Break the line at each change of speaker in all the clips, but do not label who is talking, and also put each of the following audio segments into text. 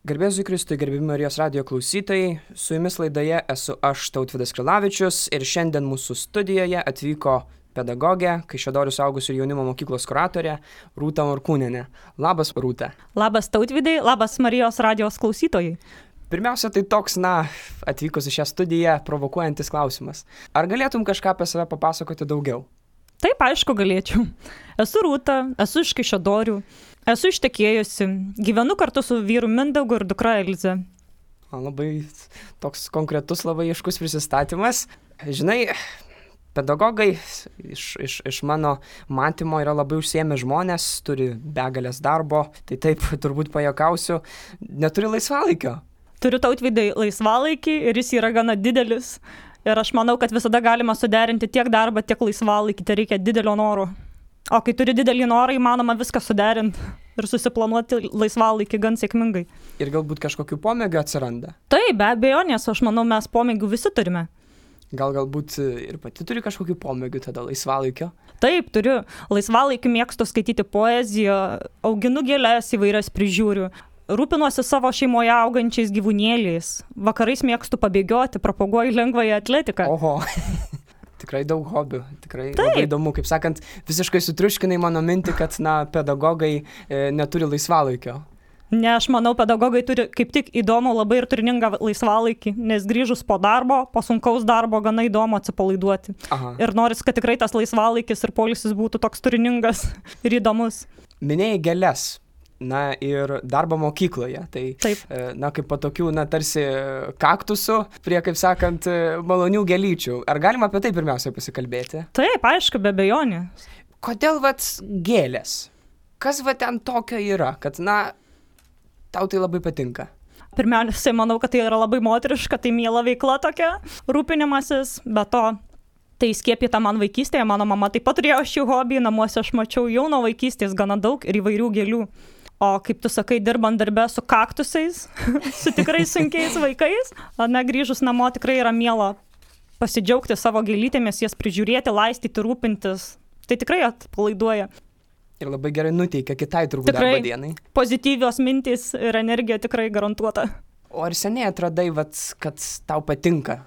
Garbėsiu Kristui, gerbimi Marijos radijo klausytojai, su jumis laidoje esu aš, Tautvydas Krilavičius, ir šiandien mūsų studijoje atvyko pedagogė, Kaišiadorių suaugusių ir jaunimo mokyklos kuratorė Rūta Morkūnienė. Labas, Rūta.
Labas, Tautvydai, labas Marijos radijos klausytojai.
Pirmiausia, tai toks, atvykus į šią studiją, provokuojantis klausimas. Ar galėtum kažką apie save papasakoti daugiau?
Taip, aišku, galėčiau. Esu Rūta, esu iš Kaišiadorių. Esu ištekėjusi, gyvenu kartu su vyru Mindaugu ir dukra Elize.
Labai toks konkretus, labai aiškus prisistatymas. Žinai, pedagogai iš mano matymo yra labai užsiėmę žmonės, turi begalės darbo, tai taip turbūt pajuokausiu, neturi laisvalaikio.
Turiu, Tautvydai, laisvalaikį ir jis yra gana didelis. Ir aš manau, kad visada galima suderinti tiek darbą, tiek laisvalaikį, tai reikia didelio noro. O kai turi didelį norą, įmanoma viską suderinti ir susiplanuoti laisvalaikį gan sėkmingai.
Ir galbūt kažkokių pomėgių atsiranda?
Taip, be abejo, nes aš manau, mes pomėgių visi turime.
Galbūt ir pati turi kažkokių pomėgių tada laisvalaikio?
Taip, turiu. Laisvalaikį mėgstu skaityti poeziją, auginu gėles įvairias prižiūriu. Rūpinuosi savo šeimoje augančiais gyvūnėliais. Vakarais mėgstu pabėgioti, propaguoju lengvąją atletiką.
Oho. Tikrai daug hobių, tikrai labai įdomu, kaip sakant, visiškai sutriuškinai mano mintį, kad, pedagogai neturi laisvalaikio.
Ne, aš manau, pedagogai turi kaip tik įdomų labai ir turiningą laisvalaikį, nes grįžus po darbo, po sunkaus darbo, gana įdomu atsipalaiduoti. Aha. Ir noris, kad tikrai tas laisvalaikis ir poilsis būtų toks turiningas ir įdomus.
Minėjai gėles. Ir darbo mokykloje. Tai,
taip.
Kaip po tokių, tarsi kaktusų prie, kaip sakant, malonių gėlyčių. Ar galima apie tai pirmiausia pasikalbėti?
Taip, aišku, be abejonės.
Kodėl, gėlės? Kas ten tokio yra, kad, tau tai labai patinka?
Pirmiausia, manau, kad tai yra labai moteriška, tai miela veikla tokia, rūpinimasis, be to. Tai skiepyta man vaikystėje, mano mama taip pat turėjo šį hobį, namuose aš mačiau jau nuo vaikystės gana daug ir įvairių gėlių. O kaip tu sakai, dirbant darbe su kaktusais, su tikrai sunkiais vaikais, grįžus namo tikrai yra miela pasidžiaugti savo gėlytėmis, jas prižiūrėti, laistyti, rūpintis. Tai tikrai atpalaiduoja.
Ir labai gerai nuteikia kitai turbūt darbo dienai.
Pozityvios mintys ir energija tikrai garantuota.
O ar seniai atradai, kad tau patinka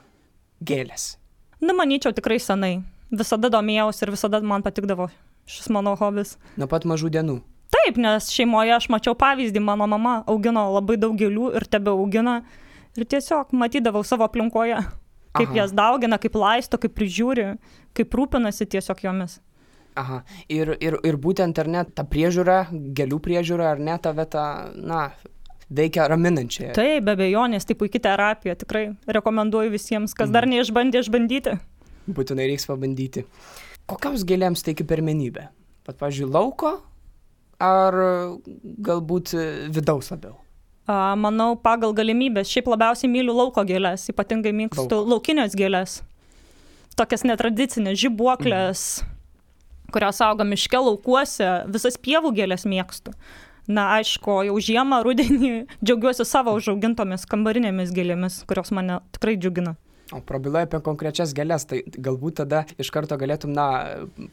gėlės?
Manyčiau tikrai senai. Visada domėjausi ir visada man patikdavo šis mano hobis.
Nuo pat mažų dienų?
Taip, nes šeimoje aš mačiau pavyzdį, mano mama augino labai daug gėlių ir tebeaugina. Ir tiesiog matydavau savo aplinkoje, kaip jas daugina, kaip laisto, kaip prižiūri, kaip rūpinasi tiesiog jomis.
Aha, ir būtent ar ne ta priežiūra, gėlių priežiūra, ar ne tave veikia raminančiai?
Taip, be abejonės, tai puikia terapija, tikrai rekomenduoju visiems, kas dar neišbandė, išbandyti.
Būtinai reiks pabandyti. Kokiams gėlėms teiki pirmenybę? Pat, pavyzdžiui, lauko ar galbūt vidaus labiau?
Manau, pagal galimybės. Šiaip labiausiai myliu lauko gėlės, ypatingai mėgstu laukinės gėlės. Tokias netradicinės žibuoklės, kurios auga miške, laukuose, visas pievų gėlės mėgstu. Aišku, jau žiemą, rudenį džiaugiuosi savo užaugintomis kambarinėmis gėlėmis, kurios mane tikrai džiugina.
O prabilai apie konkrečias gėlės, tai galbūt tada iš karto galėtum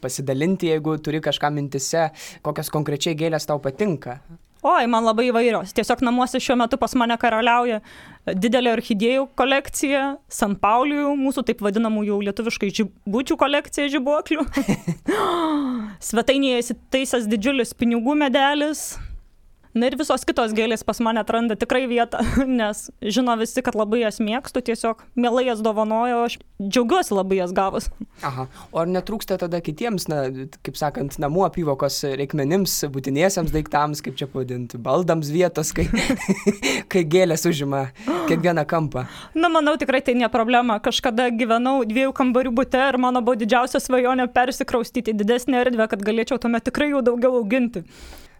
pasidalinti, jeigu turi kažką mintise, kokios konkrečiai gėlės tau patinka.
Oi, man labai įvairios. Tiesiog namuose šiuo metu pas mane karaliauja didelė orchidėjų kolekcija, San Paulijų, mūsų taip vadinamų jau lietuviškai žibučių kolekcija žibuoklių. Svetainėje įsitaisęs didžiulis pinigų medelis. Ir visos kitos gėlės pas mane atranda tikrai vietą, nes žino visi, kad labai jas mėgstu, tiesiog mielai jas dovanoju, aš džiaugiuosi labai jas gavus.
Aha, o ar netrūksta tada kitiems, kaip sakant, namų apyvokos reikmenims, būtiniesiams daiktams, kaip čia pavadinti, baldams vietos, kai gėlės užima kiekvieną kampą?
Manau, tikrai tai ne problema. Kažkada gyvenau 2 kambarių bute ir mano buvo didžiausia svajonė persikraustyti didesnę erdvę, kad galėčiau tuomet tikrai jų daugiau auginti.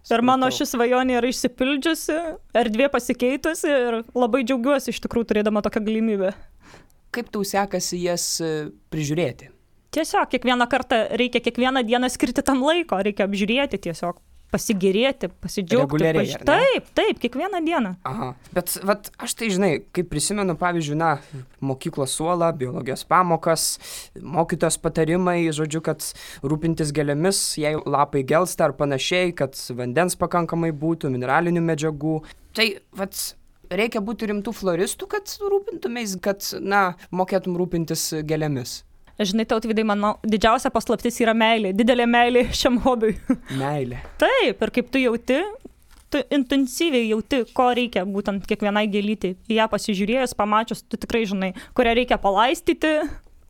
Ir mano ši svajonė yra išsipildžiusi, erdvė pasikeitusi ir labai džiaugiuosi iš tikrųjų turėdama tokią galimybę.
Kaip tau sekasi jas prižiūrėti?
Tiesiog kiekvieną kartą reikia kiekvieną dieną skirti tam laiko, reikia apžiūrėti tiesiog. pasigėrėti, pasidžiaugti.
Reguliariai, ar ne?
Taip, kiekvieną dieną.
Aha, bet aš tai žinai, kaip prisimenu, pavyzdžiui, mokyklos suolą, biologijos pamokas, mokytojos patarimai, žodžiu, kad rūpintis gėlėmis, jei lapai gelsta ar panašiai, kad vandens pakankamai būtų, mineralinių medžiagų. Tai, reikia būti rimtų floristų, kad rūpintumės, kad, mokėtum rūpintis gėlėmis?
Žinai, Tautvydai, mano didžiausia paslaptis yra meilė, didelė meilė šiam hobiui.
Meilė.
Taip, ir kaip tu jauti, tu intensyviai jauti, ko reikia būtent kiekvienai gėlytei. Į ją pasižiūrėjus, pamačius, tu tikrai žinai, kurią reikia palaistyti,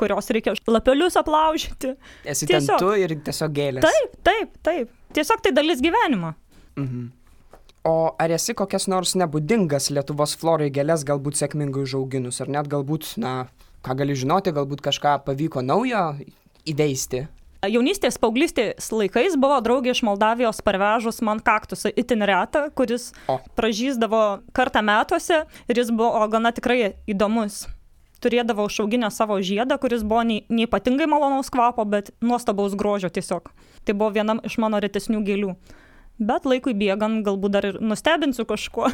kurios reikia lapelius aplaužyti.
Esi ten tu ir tiesiog gėlės.
Taip. Tiesiog tai dalis gyvenimo.
Mhm. O ar esi kokias nors nebūdingas Lietuvos florai gėlės galbūt sėkmingai užauginus, ar net galbūt, ką gali žinoti, galbūt kažką pavyko naujo įveisti?
Jaunystės, paauglystės laikais buvo draugė iš Moldavijos parvežus man kaktusą itin retą, kuris pražysdavo kartą metuose ir jis buvo gana tikrai įdomus. Turėdavo užauginę savo žiedą, kuris buvo neypatingai malonaus kvapo, bet nuostabaus grožio tiesiog. Tai buvo viena iš mano retesnių gėlių. Bet laikui bėgant galbūt dar ir nustebinsiu kažkuo.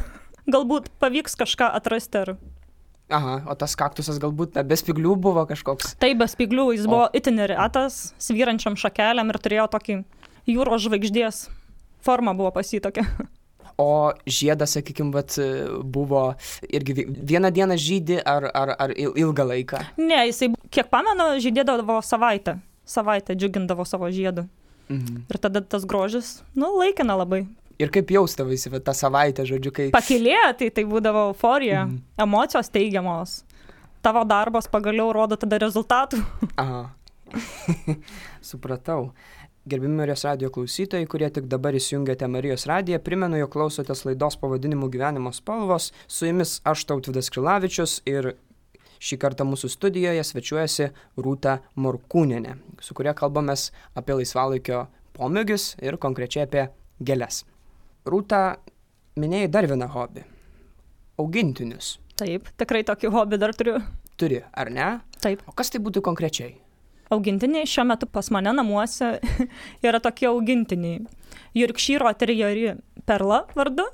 Galbūt pavyks kažką atrasti ar...
Aha, o tas kaktusas galbūt be spyglių buvo kažkoks?
Taip, be spyglių, jis buvo itin retas, svyrančiam šakeliam ir turėjo tokį jūros žvaigždės formą buvo pas jį tokia.
O žiedas, sakykime, buvo irgi vieną dieną žydi ar ilgą laiką?
Ne, jisai, kiek pamenu, žydėdavo savaitę džiugindavo savo žiedu. Mhm. Ir tada tas grožis, laikina labai.
Ir kaip jaustavaisi tą savaitę, žodžiu, kai...
Pakylėti, tai būdavo euforija, emocijos teigiamos. Tavo darbas pagaliau rodo tada rezultatų.
Aha. Supratau. Gerbimi Marijos radijo klausytojai, kurie tik dabar įsijungėte Marijos radiją, primenu, jog klausotės laidos pavadinimu Gyvenimo spalvos. Su jumis aš, Tautvydas Krilavičius, ir šį kartą mūsų studijoje svečiuojasi Rūta Morkūnienė, su kuria kalbamės apie laisvalaikio pomėgius ir konkrečiai apie gėles. Rūta, minėjai dar vieną hobį. Augintinius.
Taip, tikrai tokį hobį dar turiu.
Turi, ar ne?
Taip.
O kas tai būtų konkrečiai?
Augintiniai šiuo metu pas mane namuose yra tokie augintiniai. Yorkšyro terjeri Perla vardu,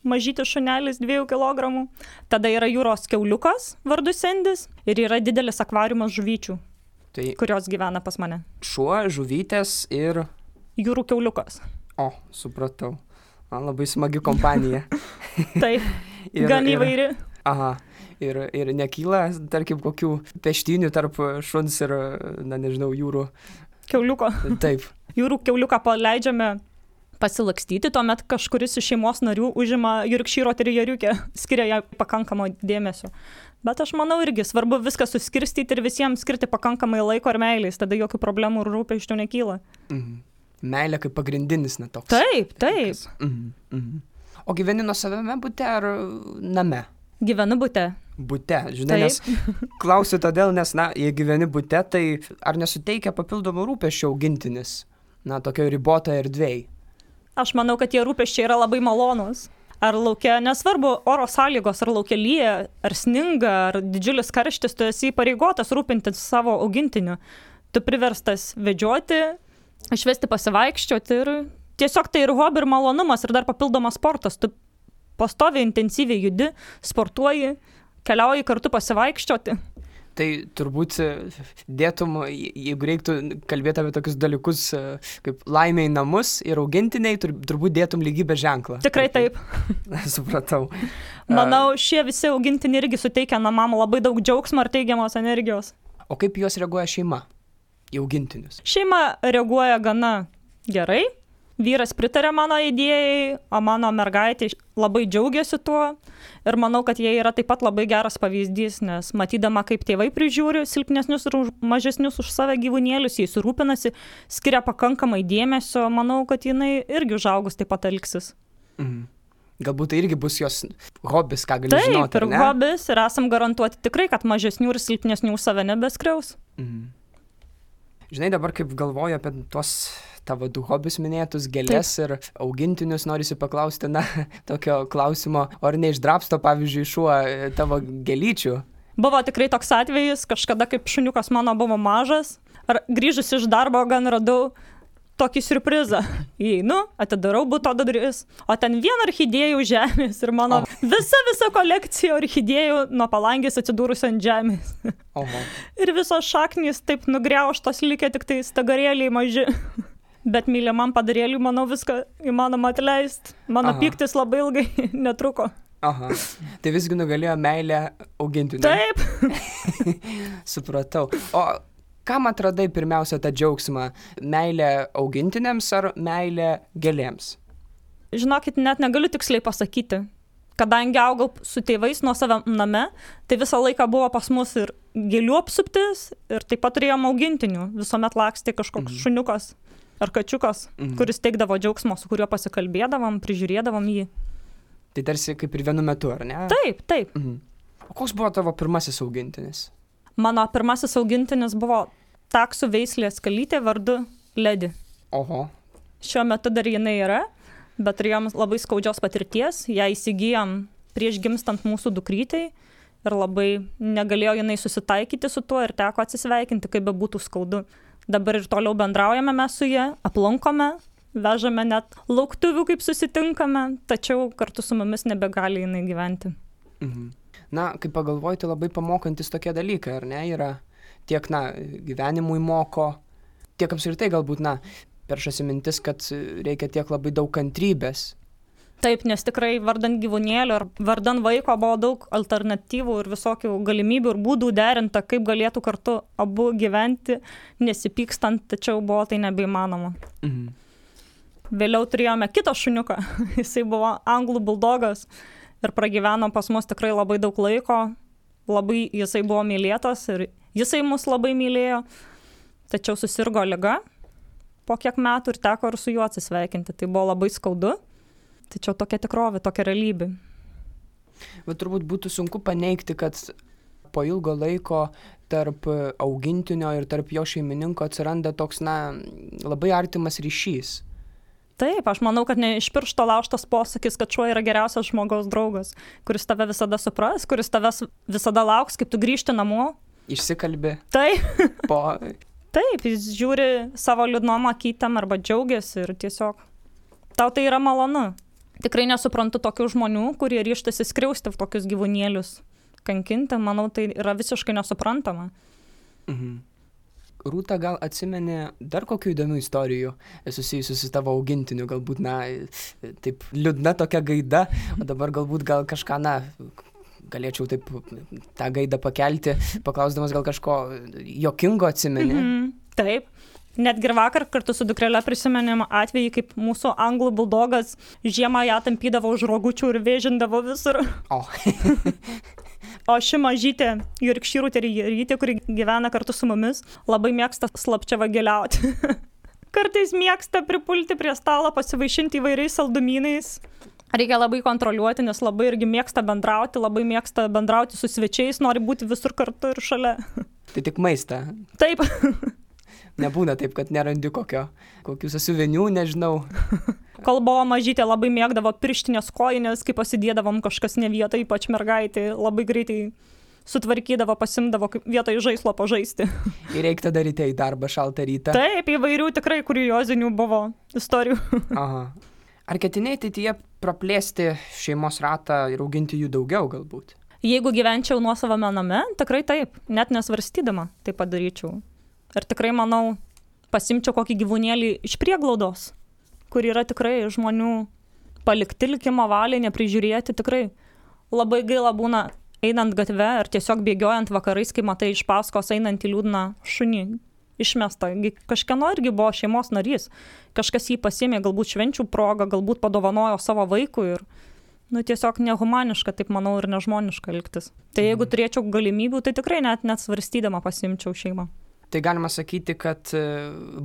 mažytis šunelis 2 kg. Tada yra jūros kiauliukas vardu Sendis ir yra didelis akvariumas žuvyčių, kurios gyvena pas mane.
Šuo, žuvytės ir...
Jūrų kiauliukas.
O, supratau. Man labai smagi kompanija.
Taip, gan įvairi.
Aha, ir nekyla, tarkim, kokių peštynių tarp šuns ir, jūrų...
Kiauliuko.
Taip.
Jūrų kiauliuką paleidžiame pasilakstyti, tuomet kažkuris iš šeimos narių užima Yorkšyro terjeriukę, skiria ją pakankamo dėmesio. Bet aš manau irgi svarbu viską suskirstyti ir visiems skirti pakankamai laiko ir meilės, tada jokių problemų ir rūpesčių nekyla.
Mhm. Meilė kaip pagrindinis toks.
Taip.
O gyveni nuosavame bute ar name?
Gyvenu bute.
Bute, žinai, nes klausiu todėl, nes, jei gyveni bute, tai ar nesuteikia papildomų rūpesčių augintinis, tokio riboto erdvėj?
Aš manau, kad tie rūpesčiai yra labai malonus. Ar laukia, nesvarbu oro sąlygos, ar laukia lyja, ar sninga, ar didžiulis karštis, tu esi įpareigotas rūpintis savo augintiniu. Tu priverstas vedžioti, išvesti pasivaikščioti ir tiesiog tai ir hobi ir malonumas ir dar papildomas sportas. Tu pastoviai intensyviai judi, sportuoji, keliauji kartu pasivaikščioti.
Tai turbūt dėtum, jeigu reiktų kalbėti apie tokius dalykus kaip laimė į namus ir augintiniai, turbūt dėtum lygybės ženklą.
Tikrai taip.
Supratau.
Manau, šie visi augintiniai irgi suteikia namam labai daug džiaugsmo ir teigiamos energijos.
O kaip juos reaguoja šeima? Į augintinius.
Šeima reaguoja gana gerai. Vyras pritarė mano idėjai, o mano mergaitė labai džiaugiasi tuo. Ir manau, kad jie yra taip pat labai geras pavyzdys, nes matydama, kaip tėvai prižiūri silpnesnius ir mažesnius už save gyvūnėlius, jais rūpinasi, skiria pakankamai dėmesio, manau, kad jinai irgi užaugus taip pat elgsis.
Mhm. Galbūt tai irgi bus jos hobis, ką gali žinoti,
Taip, ir hobis, ir esam garantuoti tikrai, kad mažesnių ir silpnesnių už save nebeskriaus.
Mhm. Žinai, dabar kaip galvoju apie tuos tavo 2 hobius minėtus, gėlės ir augintinius, norisi paklausti, tokio klausimo, ar neišdrabsto, pavyzdžiui, šuo tavo gėlyčių?
Buvo tikrai toks atvejis, kažkada kaip šuniukas mano buvo mažas, ar grįžus iš darbo gan radau tokį siurprizą. Įeinu, atidarau buto duris, o ten vien orchidėjų žemės ir mano visa kolekcija orchidėjų nuo palangės atsidūrusi ant žemės.
Oho.
Ir visos šaknys taip nugriauštos, likę tik tai stagarėliai maži. Bet mylimam padarėliui, manau, viską įmanoma atleisti. Mano pyktis labai ilgai netruko.
Aha. Tai visgi nugalėjo meilę augintiniui.
Taip.
Supratau. O kam atradai pirmiausia tą džiaugsmą? Meilę augintiniams ar meilę gėlėms?
Žinokit, net negaliu tiksliai pasakyti. Kadangi augau su tėvais nuo save name, tai visą laiką buvo pas mus ir gėlių apsuptis, ir taip pat turėjom augintinių. Visuomet lakstė kažkoks šuniukas ar kačiukas, kuris teikdavo džiaugsmo, su kuriuo pasikalbėdavom, prižiūrėdavom jį.
Tai tarsi kaip ir vienu metu, ar ne?
Taip, taip.
O koks buvo tavo pirmasis augintinis?
Mano pirmasis augintinis buvo taksų veislės kalytė vardu Ledi.
Oho.
Šiuo metu dar jinai yra, bet turėjom labai skaudžios patirties. Ją įsigijom prieš gimstant mūsų dukrytei ir labai negalėjo jinai susitaikyti su tuo ir teko atsisveikinti, kaip bebūtų skaudu. Dabar ir toliau bendraujame mes su ja, aplankome, vežame net lauktuvių, kaip susitinkame, tačiau kartu su mumis nebegali jinai gyventi.
Na, kaip pagalvoji, tai labai pamokantis tokie dalykai, ar ne? Yra tiek, gyvenimui moko, tiek apskritai galbūt, peršasi mintis, kad reikia tiek labai daug kantrybės.
Taip, nes tikrai vardan gyvūnėlio ir vardan vaiko buvo daug alternatyvų ir visokių galimybių ir būdų derinta, kaip galėtų kartu abu gyventi, nesipykstant, tačiau buvo tai nebeįmanoma. Vėliau turėjome kitą šuniuką, jisai buvo anglų buldogas ir pragyveno pas mus tikrai labai daug laiko, labai jisai buvo mylėtas ir jisai mus labai mylėjo, tačiau susirgo liga po kiek metų ir teko ir su juo atsisveikinti, tai buvo labai skaudu. Tačiau tokia tikrovė, tokia realybė.
Bet turbūt būtų sunku paneigti, kad po ilgo laiko tarp augintinio ir tarp jo šeimininko atsiranda toks, labai artimas ryšys.
Taip, aš manau, kad ne iš piršto laužtas posakis, kad šuo yra geriausias žmogaus draugas, kuris tave visada supras, kuris tavęs visada lauks, kaip tu grįžti namo.
Išsikalbi.
Taip.
Taip,
jis žiūri savo liūdnom akytėm arba džiaugiasi ir tiesiog tau tai yra malonu. Tikrai nesuprantu tokių žmonių, kurie ryžtasi skriausti tokius gyvūnėlius, kankinti, manau, tai yra visiškai nesuprantama.
Rūta, gal atsimeni dar kokių įdomių istorijų susijusių su tavo augintiniu, galbūt, taip liūdna tokia gaida, o dabar galbūt gal kažką, galėčiau taip tą gaidą pakelti, paklausdamas gal kažko juokingo atsimeni?
Taip. Netgi ir vakar kartu su dukrele prisimenėm atvejį, kaip mūsų anglų buldogas žiemą ją tampydavo už rogučių ir vėžindavo visur. O ši mažytė Yorkshire terjerytė, kuri gyvena kartu su mumis, labai mėgsta slapčia vagiliauti. Kartais mėgsta pripulti prie stalo, pasivaišinti įvairiais saldumynais. Reikia labai kontroliuoti, nes labai irgi mėgsta bendrauti su svečiais, nori būti visur kartu ir šalia.
Tai tik maistą?
Taip.
Nebūna taip, kad nerandi kokių sąsiuvinių, nežinau.
Kol buvo mažytė, labai mėgdavo pirštinės kojinės, kai pasidėdavom kažkas ne vietą, ypač mergaitė, labai greitai sutvarkydavo, pasimdavo vietoj žaislo pažaisti.
Ir reikia tada ryte į darbą šaltą rytą.
Taip, įvairių tikrai kuriozinių buvo istorijų.
Aha. Ar ketiniai ateityje praplėsti šeimos ratą ir auginti jų daugiau galbūt?
Jeigu gyvenčiau nuosavame name, tikrai taip, net nesvarstydama tai padaryčiau. Ir tikrai, manau, pasimčiau kokį gyvūnėlį iš prieglaudos, kur yra tikrai žmonių palikti likimo valiai, neprižiūrėti. Tikrai labai gaila būna einant gatve ar tiesiog bėgiojant vakarais, kai matai iš paskos einantį liūdną šunį išmestą. Kažkieno irgi buvo šeimos narys. Kažkas jį pasiėmė galbūt švenčių progą, galbūt padovanojo savo vaikui ir tiesiog nehumaniška, taip manau, ir nežmoniška elgtis. Tai jeigu turėčiau galimybių, tai tikrai net svarstydama pasimčiau šeimą.
Tai galima sakyti, kad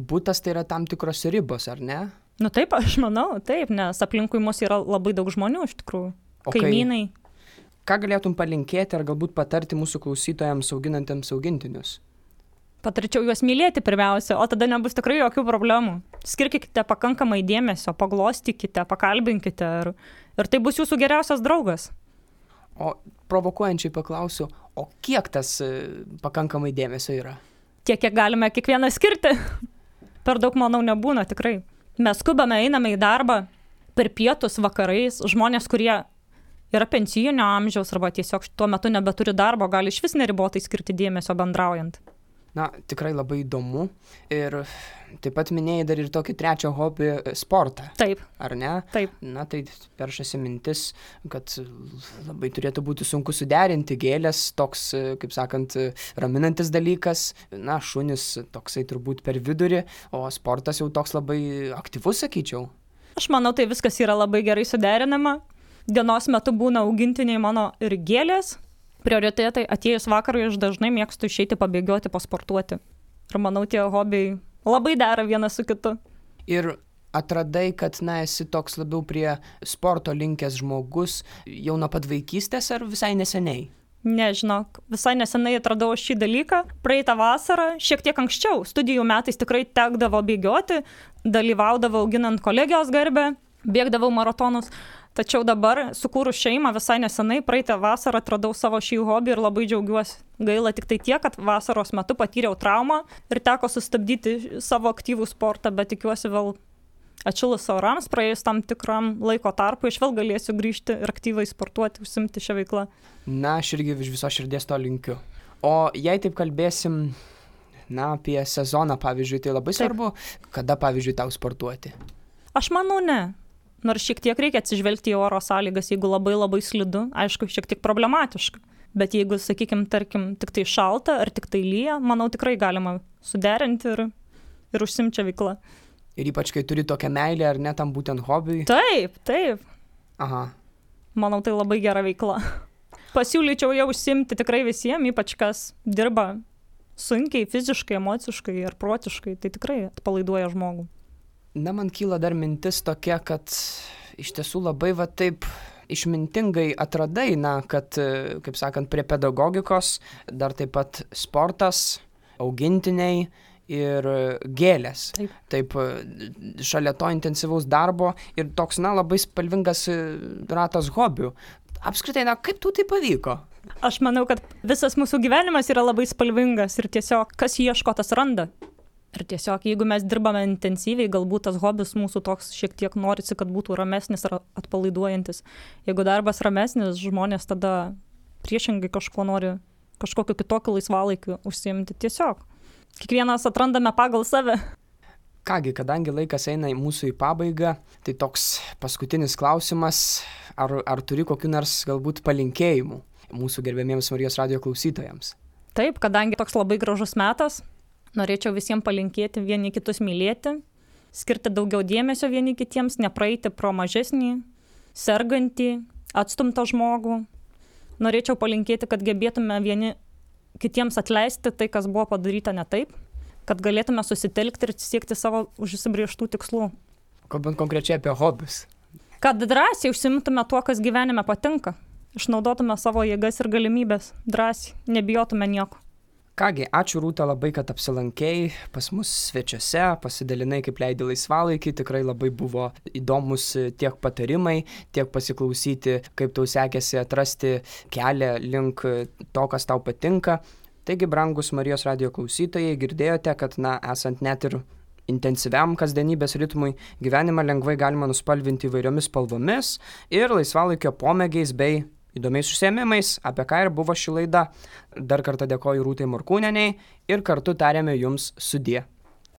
butas tai yra tam tikros ribos, ar ne?
Taip, aš manau, taip, nes aplinkui mus yra labai daug žmonių iš tikrųjų. Kaimynai.
Ką galėtum palinkėti ar galbūt patarti mūsų klausytojams auginantiems augintinius?
Patarčiau juos mylėti pirmiausia, o tada nebus tikrai jokių problemų. Skirkite pakankamai dėmesio, paglostykite, pakalbinkite ir tai bus jūsų geriausias draugas.
O provokuojančiai paklausiu, o kiek tas pakankamai dėmesio yra?
Tiek, kiek galime kiekvieną skirti. Per daug, manau, nebūna tikrai. Mes skubame, einame į darbą per pietus, vakarais. Žmonės, kurie yra pensijinio amžiaus arba tiesiog tuo metu nebeturi darbo, gali išvis neribotai skirti dėmesio bendraujant.
Na, tikrai labai įdomu. Ir taip pat minėjai dar ir tokį trečią hobį - sportą.
Taip.
Ar ne?
Taip.
Na, tai peršasi mintis, kad labai turėtų būti sunku suderinti gėlės, toks, kaip sakant, raminantis dalykas. Na, šunis toksai turbūt per vidurį, o sportas jau toks labai aktyvus, sakyčiau.
Aš manau, tai viskas yra labai gerai suderinama. Dienos metu būna augintiniai mano ir gėlės. Prioritetai atėjus vakarui aš dažnai mėgstu išeiti pabėgioti, pasportuoti. Ir manau, tie hobiai labai dera vienas su kitu.
Ir atradai, kad, na, esi toks labiau prie sporto linkęs žmogus jau nuo pat vaikystės ar visai neseniai?
Nežinok, visai nesenai atradau šį dalyką. Praeitą vasarą, šiek tiek anksčiau, studijų metais tikrai tekdavo bėgioti, dalyvaudavau auginant kolegijos garbę, bėgdavau maratonus. Tačiau dabar, sukūrus šeimą visai nesenai, praeitą vasarą atradau savo šį hobį ir labai džiaugiuosi. Gaila tik tai tiek, kad vasaros metu patyriau traumą ir teko sustabdyti savo aktyvų sportą, bet tikiuosi vėl atšilus orams, praėjus tam tikram laiko tarpu, aš vėl galėsiu grįžti ir aktyvai sportuoti, užsimti šią veiklą.
Na, aš irgi iš viso širdies to linkiu. O jei taip kalbėsim, na, apie sezoną, pavyzdžiui, tai labai svarbu, kada, pavyzdžiui, tau sportuoti?
Aš manau, ne. Nors šiek tiek reikia atsižvelgti į oro sąlygas, jeigu labai labai slidu, aišku, šiek tiek problematiška. Bet jeigu, sakykime, tarkim, tik tai šalta ar tik tai lyja, manau, tikrai galima suderinti ir užsimti veiklą.
Ir ypač, kai turi tokią meilę, ar ne, tam būtent hobiui?
Taip, taip.
Aha.
Manau, tai labai gera veikla. Pasiūlyčiau jau užsimti tikrai visiems, ypač kas dirba sunkiai, fiziškai, emociškai ir protiškai, tai tikrai atpalaiduoja žmogų.
Na, man kyla dar mintis tokia, kad iš tiesų labai va taip išmintingai atradai, na, kad, kaip sakant, prie pedagogikos dar taip pat sportas, augintiniai ir gėlės. Taip, šalia to intensyvaus darbo ir toks, na, labai spalvingas ratas hobių. Apskritai, na, kaip tau tai pavyko?
Aš manau, kad visas mūsų gyvenimas yra labai spalvingas ir tiesiog kas ieško, tas randa. Ir tiesiog, jeigu mes dirbame intensyviai, galbūt tas hobis mūsų toks šiek tiek norisi, kad būtų ramesnis ar atpalaiduojantis. Jeigu darbas ramesnis, žmonės tada priešingai kažko nori, kažkokiu kitokiu laisvalaikiu užsiimti. Tiesiog, kiekvienas atrandame pagal save.
Kągi, kadangi laikas eina mūsų į pabaigą, tai toks paskutinis klausimas, ar turi kokių nors galbūt palinkėjimų mūsų gerbiamiems Marijos radijo klausytojams?
Taip, kadangi toks labai gražus metas, norėčiau visiems palinkėti vieni kitus mylėti, skirti daugiau dėmesio vieni kitiems, nepraeiti pro mažesnį, sergantį, atstumtą žmogų. Norėčiau palinkėti, kad gebėtume vieni kitiems atleisti tai, kas buvo padaryta ne taip, kad galėtume susitelkti ir siekti savo užsibrėžtų tikslų.
Kalbant konkrečiai apie hobius.
Kad drąsiai užsimtume tuo, kas gyvenime patinka, išnaudotume savo jėgas ir galimybės, drąsiai, nebijotume nieko.
Kągi, ačiū Rūta labai, kad apsilankei pas mus svečiuose, pasidalinai, kaip leidi laisvalaikį, tikrai labai buvo įdomus tiek patarimai, tiek pasiklausyti, kaip tau sekėsi atrasti kelią link to, kas tau patinka. Taigi, brangus Marijos radijo klausytojai, girdėjote, kad, na, esant net ir intensyviam kasdienybės ritmui, gyvenimą lengvai galima nuspalvinti įvairiomis spalvomis ir laisvalaikio pomėgiais bei įdomiais užsiėmimais, apie ką ir buvo ši laida. Dar kartą dėkoju Rūtai Morkūnienei ir kartu tariame jums sudie.